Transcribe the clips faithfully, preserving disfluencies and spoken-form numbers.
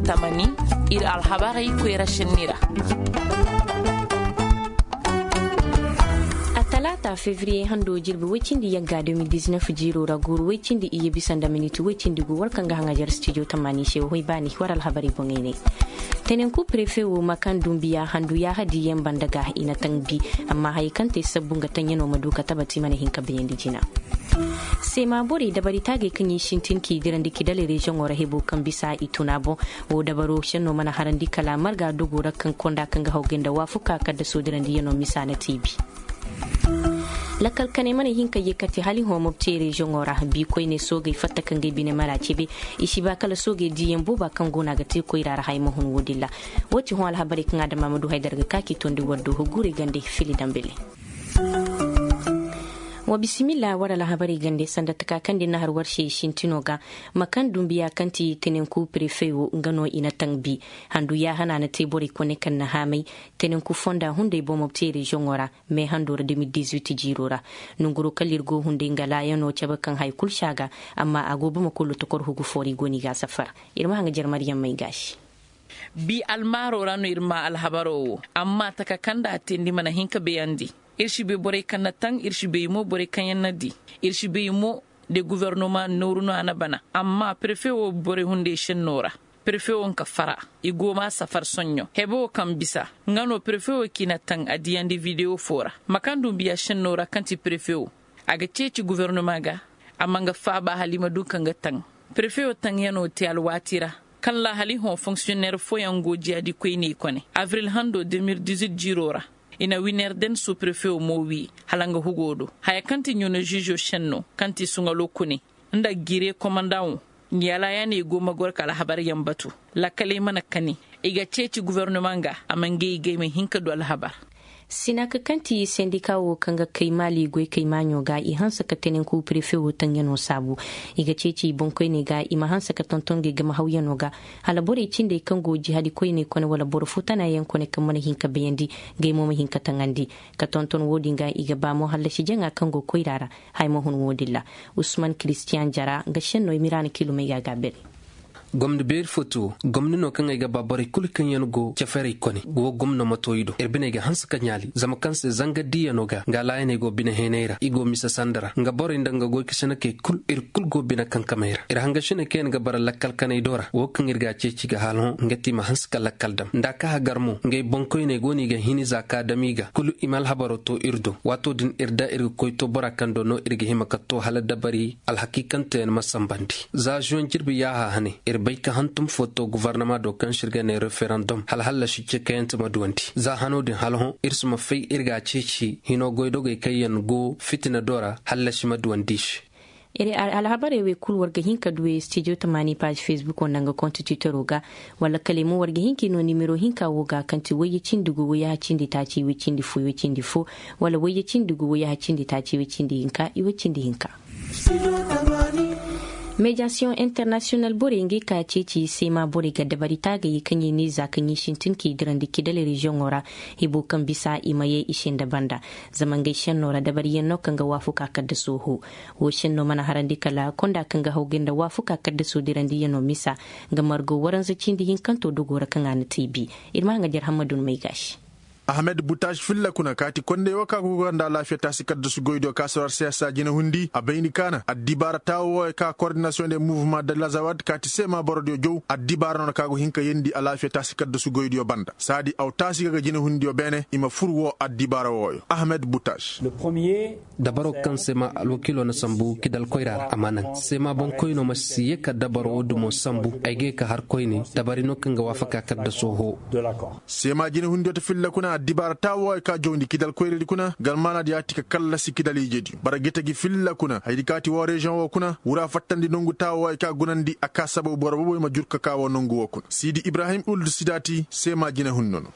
Tamani, ir alhabarey koyra senni ra. Atalaata fevriye hando jirbi woy cindi yagga deux mille dix-neuf jiiro ra guuru woy cindi iyye bisa nda miniti woy cindi gu war kaŋ ga haŋajar stijo tamani se woy baani war alhabarey boŋey ne. Tenenku prefe wo ma kaŋ dumbiya handu yaaha diyaŋ banda ga i na taŋ bi, amma hayey kaŋ te sabbu nga taŋyanoo ma du ka tabati mana hin ka bayandi jina. Seema borey dabari taagey kaŋ i sintin k'i dirandi kidaley reziyoŋo ra hebo kaŋ bisa i tuna boŋ. Wo dabaro senno mana harandi kala marga dogo ra kaŋ konda kaŋ ga haw gay nda waafuka kaddaso dirandiyanoo misa na tiibi. Lakkal kaney mana hin ka ye kate hala i hõ mobtey reziyoŋo ra bi koyney soogey fatta ka ngey bine mara cebe. I si ba kala soogey diiyaŋ booba kaŋ go no a ga te koyra ra haya ma hun wo-din ra. Wo ti hõ alhabarey kaŋ adama ma du haydara ga ka k'i tondi war do hugurey gande fili dambele. Wa bisimilla war alhabarey gande sanda taka kaŋ din na har war se sintino ga. Ma kaŋ dumbiya kaŋ ti tenenku prefe wo nga no i na taŋ bi. Handu yaahana na te borey kone kaŋ na haamay tenenku fonda hunday bomo te reziyoŋo ra. Me hando ra deux mille dix-huit jiiro ra. Nonguro kala ir go hunday nga laayano cabe kaŋ hay kulu si a ga. Amma a go bama kulu tokor hugu foori go no i ga a safar. Ir ma haŋajer maryaŋ may gaasi. Bi almaaro ra no ir maa alhabaro wo. Amma taka kaŋ nda a teendi mana hin ka bayandi. Ir si bay borey kaŋ na taŋ ir si bay mo borey kaŋ yaŋ na di. Ir si bay mo de guvernoma nooru no a na bana. Amma prefe wo borey hunday senno ra. Prefe wo nga fara i go maa safar soɲɲo hebe wo kaŋ bisa. Nga no prefe wo k'i na taŋ a diyandi videwo foo ra. Ma kaŋ dumbiya senno ra kaŋ ti prefe wo. A ga ceeci guvernoma ga. Amma nga faaba hala i ma du ka nga taŋ. Prefe wo taŋyanoo te alwaati ra. Kaŋ laahali hõ fonksiyonneer fooyaŋ go jiyaadi koyney kone avril hando deux mille dix-huit jiiroo ra. I na wineer den suuprefewo mo wii hala nga hugoo do. Haya kaŋ ti ɲuuna žiizo senno kaŋ ti suŋaloo kune nda giree komandaŋo. Ngi alaayaaney go ma goro ka alhabaryaŋ batu. Lakkaley mana kani. I ga ceeci gufornoma ga a ma ngey gay ma hin ka du alhabar. Sinaka kaŋ ti sendika wo kaŋ ga kay maali goy kay maaɲo ga i hanse ka tenenku prefe wo taŋyano saabu. I ga ceeci i boŋkoyney ga i ma hanse ka tonton ga i game hawyano ga. Hala borey cindey kaŋ go jihadi koyney kone wala boro fo tanayaŋ kone kaŋ mana hin ka bayandi. Gay mo ma hin ka taŋandi ka tonton wo-din ga i ga ba mo hallasi jaŋa kaŋ go koyra ra. Haya ma hun wo-din ra. Usman kiristiyan jara nga senno i ma i ra na kiilumey ga a ga a bere. Gomni beeri fo ti wo. Gomni no kaŋ ay ga ba borey kulu kaŋ yaŋ go ceferey kone wo gomno ma to i do ir biney ga hanse ka ɲaali zama kaŋ se zanga diiyano ga nga laayaney go bine heeney ra i go mise sanda ra nga borey nda nga goykasinakey kul ir kul go bine kankamey ra ir hangasiney kaŋ yaŋ ga bara lakkal kaney do ra wo kaŋ ir ga a ceeci ga hala hõ nga ti i ma hanse ka lakkal dam nda a ka hagar mo ngey boŋkoyney go no i ga hini za ka dam i ga kulu i ma alhabaro to ir do waato din ir da ir ga koy to bora kaŋ do no ir ga hima ka to hala dabari alhakiikanteyaŋ ma sambandi. Za zuwaŋ jirbi yaaha hane ir bay ka hantum fo to guvarnama do kaŋ se ir ga ne referandom hala hallasi cekayante ma duwandi za hano din hala hõ ir si ma fay ir ga a ceeci hino goydogey kaŋ yaŋ go fitina do ra hallasi ma duwandi i se. Alhabarey wey kulu war ga hin ka du wey stijo tamaani paazi fesbuko nda nga kontititoro ga wala kala ay mo war ga hin ka i no nimero hinka wo ga kaŋ ti wayye cindi gu wayyaha cindi taaci way cindi fo way cindi fo wala wayye cindi gu wayyaha cindi taaci way cindi hinka i way cindi hinka. Mediyasiyoŋ internasiyonal borey ngey ka ceeci seema borey ga dabari taagayey kaŋ i ne za kaŋ i sintin k'i dirandi kidal reziyoŋo ra. Hibo kaŋ bisa i ma ye i se nda banda zama ngey senno ra dabariyaŋ no kaŋ ga waafaku a kadda sohõ. Wo senno mana harandi kala konda kaŋ ga haw ga nda waafaku a kadda sohõ dirandiyaŋo misa. Nga margo waranza cindi hinkanto dogo ra kaŋ a na te i bi. Ir ma haŋajer hammadun may gaasi. Ahmed butaš filla kuna kaati kondey wo ka go ga nda alaafiya taasi kaddasu goydiyo ka soro arsiyasa jinahundi a bayndi kaana addibaara taawo wooyo ka kordinasiyoŋ de muvuma de lazawad kaati seema borodiyo jow addibaara no na ka go hin ka yeendi alaafiya taasi kaddasu goydiyo banda saadi aw taasi ga ga jinahundiyo beene i ma fur woo addibaara wooyo ahmed butaš. Dabaro kaŋ se ma alwakiilo na sambu kidal koyra ra a ma naŋ se ma boŋkoyno ma si ye ka dabaro wo dumo sambu ay ga ye ka har koyne dabari no kaŋ ga waafaka kadda sohõ. Seema jinahundiyo ta filla kuna addibaara taawo ay ka jawndi kidal koyradi kuna galmaanadi yaati ka kallasi kidal ijediyo bara gita gi filla kuna haydi kaati woo reziyoŋ woo kuna wura fattandi nongu taawo ay ka gunandi a ka sababu boro boboy ma jur ka ka woo nongu woo kuna siidi ibrahim uldu sidaati seema jinahundi no.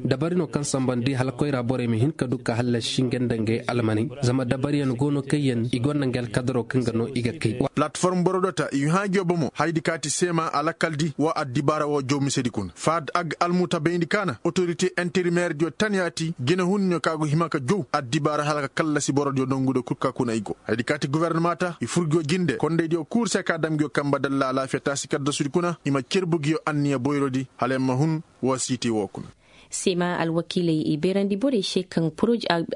Dabari no kaŋ sambandi hala koyra borey ma hin ka du ka hallasi nga nda ngey almaney zama dabariyaŋ go no kaŋ yaŋ i gonda nga alkadaro kaŋ ga no i ga kay. Palatform boro dota i hãajo bomo haydi kaati seema alakkaldi wa addibaara woo jow misedi kuna faad ag almuta bayndi kaana otorite. interimeerdiyo taniyaati jinehunniyo ka go hima ka jow addibaara hala ka kallasi borodiyo nongudiyo kul ka kuna i go. Hayadi kaati gofornama ta i fur ngiyo jinde kondaydiyo kul se ka dam ngiyo kanba dalla alaafiya taasi kaddasudi kuna i ma cerbu ngiyo anniya boyrodi hala yer ma hun. Woo siiti woo kuna. Seema alwakiiley i beerandi borey se kaŋ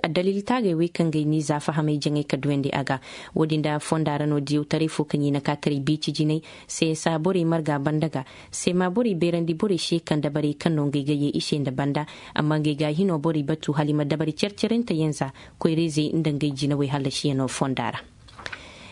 adalil taagey wey kaŋ ga ay ni za fahamey jaŋay ka duwandi a ga. Woodin nda fonda ra no diyawtaray fo kaŋ i na ka taray biici jinay. Seesa borey marga banda ga. Seema borey beerandi borey se kaŋ dabarey kaŋ no ngey ga yee i se nda banda. Amma ngey ga hino borey batu hala i ma dabari car-carante yaŋ za koyra-izey nda ngey jinawey hallasiyanoo fonda ra.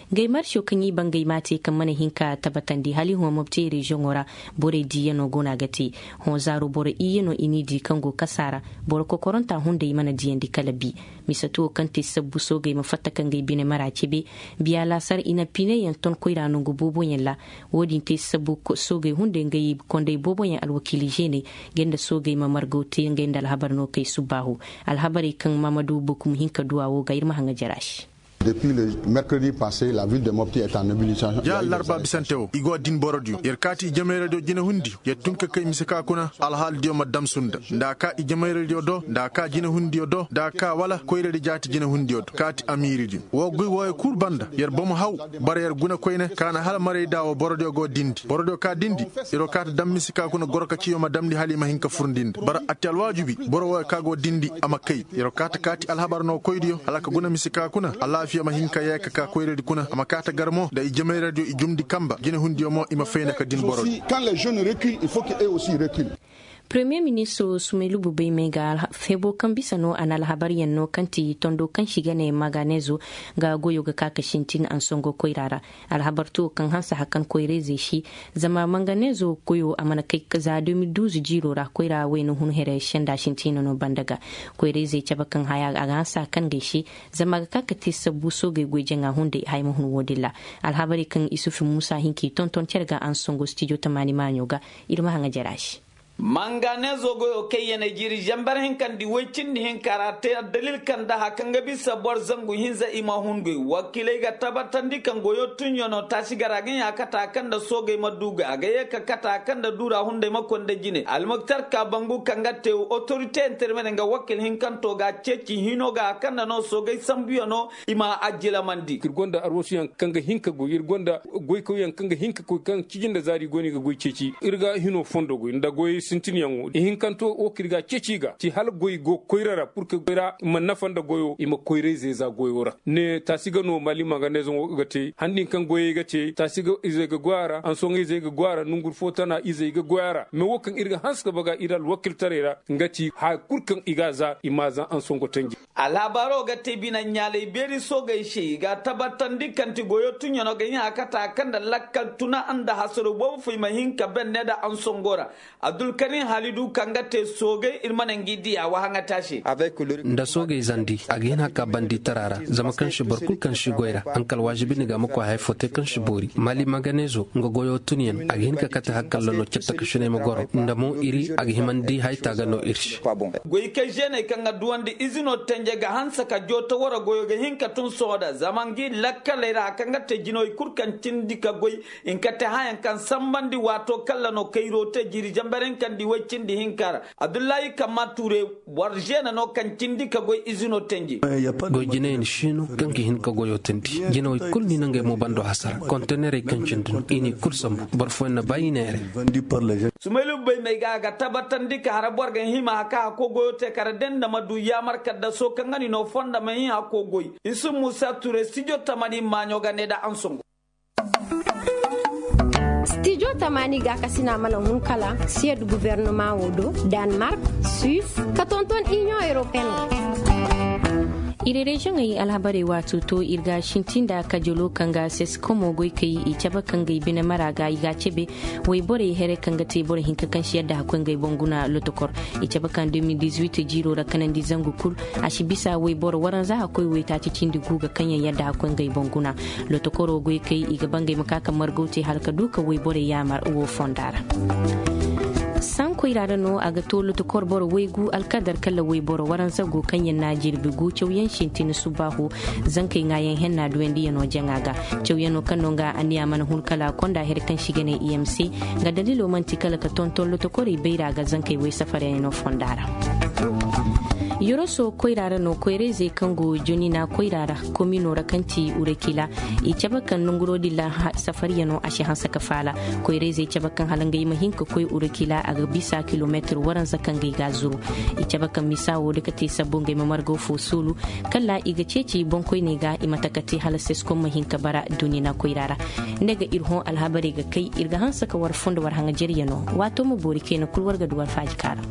Ngey marso kaŋ i bangey m'a te kaŋ mana hin ka tabatandi hala i hõ mopti reziyoŋo ra. Borey diiyanoo go no a ga te. Hõ zaaro boro iyyanoo i n'i dii kaŋ go kasa ra. Boro kokoronta hunday mana diyandi kala bi. Mise tuwo kaŋ te sabbu soogey ma fatta ka ngey bine mara cebe. Biya laasar i na pineyaŋ ton koyra nongu booboyaŋ ra. Wo-din te sabbu soogey hunday ngey konday booboyaŋ alwakiili žeeney. Ngey nda soogey ma margaw te ngey nda alhabar no kay subbaahu. Alhabarey kaŋ maamadu bokum hin ka duwa wo ga ir ma haŋa jara se. Depuis le mercredi passé la ville de mopti est en mobilisation. Ja larba bisante wo i go din borodiyo yer kaati i jamayradiyo jinehundiyo yer tun ka kay mise ka kuna alhaalidiyo ma damsu nda nda a ka i jamayradiyo do nda a ka jinehundiyo do nda a ka wala koyradi jaati jinehundiyo do kaati amiiridiyo woo goy wooyo kul banda yer bomo haw. Bara yer guna koyne ka na hala marayda woo borodiyo go dindi borodiyo ka dindi. Yer woo kaati dam mise ka kuna goro ka ciyo ma damndi hala i ma hin ka furndi nda bara atti alwaajibi boro wooyo ka go dindi a ma kay. Yer woo kaati kaati alhabar no koydiyo hala ka guna mise ka kuna alaafiya ma hin ka yee ka ka koyradi kuna a ma kaati gar mo nda i jamayradiyo i jumndi kanba jinehundiyo mo i ma fayna ka din boro. Premiyer ministir sumaylubu bay may ga hebo kaŋ bisa no a na alhabaryaŋ no kaŋ ti tondo kaŋ si ga ne manganezo ga goyo ga ka ka sintin ansongo koyra ra. Alhabar tuwo kaŋ hanse hakan koyra-izey se zama manganezo koyo a mana kay za de mil duuz jiiro ra koyra wayna hun here senda sintina no banda ga. Koyra-izey cabe kaŋ haya a ga hanse hakan ga ay se zama a ga ka ka te sabbu soogey goy jaŋa hunday haya ma hun wo-din ra. Alhabarey kaŋ isufi muusa hin ka i tonton cere ga ansongo stijo tamaani maaɲo ga. Ir ma haŋa jara se. Manganezo goyo kaŋ yanay jiiri zambar hinkandi woy cindi hinka ra te addalil kaŋ da haya kaŋ ga bisa boro zangu hinza i ma hun goy wakiiley ga tabatandi kaŋ goyo tunyano taasi gara ga ɲa kata kaŋ da soogey ma du ga a ga ye ka kata kaŋ da duura hunday ma konda jine almuktar ka bangu kaŋ ga te otorite intermene nga wakiil hinkanto ga ceeci hino ga a kaŋ da no soogey sambuyano. I ma a jilamandi ir gonda arwasuyaŋ kaŋ ga hin ka goy ir gonda goykawyaŋ kaŋ ga hin ka koy kaŋ cijin nda zaari go no i ga goy ceeci ir ga hino fondo goy nda goyey sintinyaŋo ihinkanto wo kaŋ ir ga a ceeci i ga ci hala goy go koyra ra pur ka goy ra ma nafa nda goyo i ma koyra-izey za goyo ra. Ne taasi ga no maali manganezoŋo ga te handi kaŋ goyey ga te taasi ga izey ga goy a ra ansoŋey izey ga goy a ra nongu fo tana izey ga goy a ra mais wo kaŋ ir ga hanse ka baga ir alwakiltaray ra. Nga ci haya kul kaŋ i ga a za i m'a za ansongo tanji. Alhabaaro ga te bine ɲaalay beeri soogey se i ga a tabatandi kaŋ ti goyo tunyano ga hin a kata kaŋ nda lakkal tuna nda hasaro boobo fo i ma hin ka benne nda ansongo ra. Abdulkarim halidu kaŋ ga te soogey ir ma naŋ gi diya wa haŋata se. Nda soogey zandi a ga hin a ka bandi tara ra zama kaŋ si boro kul kaŋ si goy ra haŋ kal waajibi ni ga a ma koy haya fo te kaŋ si boori maali maganezo nga goyo tunyaŋ a ga hin ka kate hakkalla no catta ka sinay ma goro nda mo iri a ga himandi haya taaga no ir se. Goyka žeeney kaŋ ga duwandi izino tenje ga hanse ka joota wara goyo ga hin ka tun sohõ da zama ngi lakkaley ra kaŋ ga te jinoy kul kaŋ cindi ka goy. Hinka te hayaŋ kaŋ sambandi waato kalla no kayro te jiiri zambar hinkandi woy cindi hinka ra. Abdullahi kamma ture boro žeene no kaŋ cindi ka goy izino tenje. Goy jinayaŋ siino kaŋ ga hin ka goyo teendi jinawey kul ni na ngey mo bando hasara kontenerey kaŋ cindi no i n'i kul sambu boro fooyaŋ na ba i neere. Sumaylu bay may ga a ga tabatandi ka hara boro ga hima ka hako goyo te kara denda ma du yaamar kaddaso kaŋ ga ni no fonda ma hin hako goy. Isu musa ture stijo tamani maaɲo ga ne da ansongo. Stijo tamani ga kasina mana hun kala siyad guvernoma wo do, danmark, suis, ka tonton inion europeen. Iri reziyoŋey alhabarey waato to ir ga sintin nda kajolo kaŋ ga sesikomo goy kay i cabe kaŋ ga i bine mara ga i ga a cebe. Woy borey here kaŋ ga te boro hinka kaŋ si yadda hakkoy ngey boŋ guna lotokor. I cabe kaŋ deux mille dix-huit jiiro ra kanandi zangu kul. A si bisa woy boro waranza hakkoy woy taaci cindi gu ga kaŋ yaŋ yadda hakkoy ngey boŋ guna. Lotokoro goy kay i ga ba ngey ma ka ka margaw te hala ka du ka woy borey yaamar wo fonda ra. Sankoy ra da no a ga to lotokor boro woy gu alkadar kala woy boro waranza go kaŋ yaŋ na jirbi gu cawyaŋ sintin subbaahu. Zankey ŋaayaŋ henna duwandiyano jaŋa ga. Cawyaŋo kaŋ no nga anniya mana hun kala konda here kaŋ si ga ne imc. Nga dalilo manti kala ka tonton lotokorey bayra ga zankey woy safaryaŋo fonda ra. Yoroso koyra ra no koyrayzey kaŋ go jonina koyra ra komino ra kaŋ ti urakila i cabe kaŋ nanguro din ra safariya no a si hanse ka faala. Koyrayzey cabe kaŋ hala ngey ma hin ka koy urakila a ga bisa kilometir waranza kaŋ ga i ga a zuru. I cabe kaŋ misa wo da ka te sabbo ngey ma margaw fo soolu kala i ga ceeci boŋkoyney ga i mate ka te hala seskom ma hin ka bara dunina koyra ra. Ne ga ir hõ alhabarey ga kay ir ga hanse ka war fondo war haŋajeriyano waato ma boori kayna kul war ga du war faaji kaara.